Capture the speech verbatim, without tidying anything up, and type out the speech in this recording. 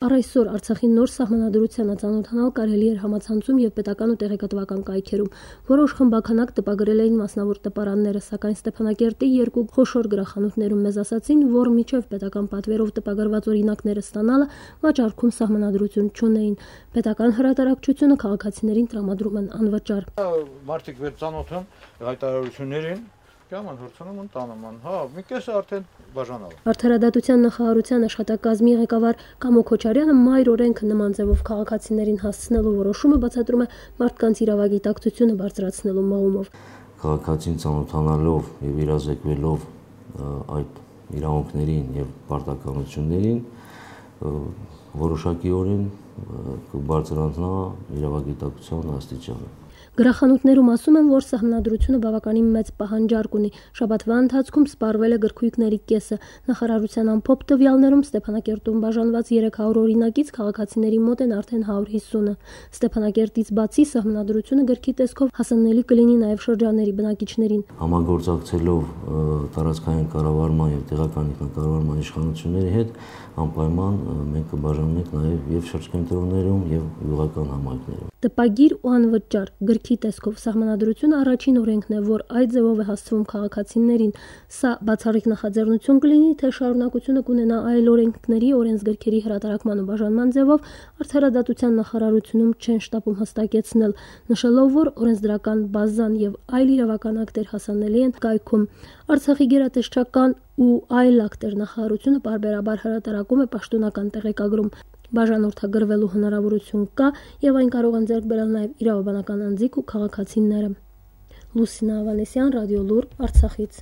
Առ այսօր Արցախի նոր սահմանադրությանը ծանոթանալ կարելի էր համացանցում և պետական ու տեղեկատվական կայքերում։ Որոշ խմբականակ տպագրել էին մասնավոր տպարանները, սակայն Ստեփանակերտի երկու խոշոր գրախանութներում մեզ ասացին, որ մինչև պետական պատվերով տպագրված օրինակները ստանալը վաճառքում սահմանադրություն չունեին։ Պետական հրատարակչությունը քաղաքացիներին տրամադրում են անվճար։ Մարդիկ վեր ծանոթան հայտարարություններին Կաման հորցնում են տանաման, հա, մի կեսը արդեն բաժանալ։ Արդարադատության նախարարության աշխատակազմի ղեկավար Կամո Քոչարյանը մայր օրենքը նման ձևով քաղաքացիներին հասցնելու որոշումը բացատրում է մարդկանց իրավագիտակցությունը բարձրացնելու մղումով։ Քաղաքացին ծանոթանալով եւ իրազեկվելով այդ իրավունքներին եւ պարտականություններին որոշակիորեն կբարձրանա իրավագիտակցության աստիճանը։ Գրախանութներում ասում են, որ սահմանադրությունը բավականին մեծ պահանջարկ ունի։ Շաբաթվա ընթացքում սպառվել է գրքույկների կեսը։ Նախարարության ամփոփ տվյալներում Ստեփանակերտում բաժանված երեք հարյուր օրինակից քաղաքացիների մոտ են արդեն հարյուր հիսունը։ Ստեփանակերտից բացի սահմանադրությունը գրքի տեսքով հասանելի կլինի նաև շրջանների բնակիչներին։ Համագործակցելով տարածքային կառավարման եւ տեղական ինքնակառավարման իշխանությունների հետ անպայման մենք կբաժանենք նաև եւ շրջկենտրոններում եւ յուղական համայնքներում։ Տպագիր ու անվճար գրքի տեսքով սահմանադրությունը առաջին օրենքն է, որ այդ ձևով է հասցվում քաղաքացիներին։ Սա բացառիկ նախաձեռնություն կլինի, թե շարունակությունը կունենա այլ օրենքների, օրենսգրքերի հրատարակման ու բաժանման ձևով, արդարադատության նախարարությունում չեն շտապում հստակեցնել, նշելով, որ օրենսդրական բազան եւ այլ իրավական ակտեր հասանելի են կայքում։ Արցախի գերատեսչական ու այլ ակտեր նախարարությունը պարբերաբար հրատարակում է պաշտոնական տեղեկագրում։ Բաժանորդագրվելու հնարավորություն կա եւ այն կարող են ձեռք բերել նաեւ իրավաբանական անձիկ ու քաղաքացիները։ Լուսինա Ավանեսյան, Ռադիոլուր, Արցախից։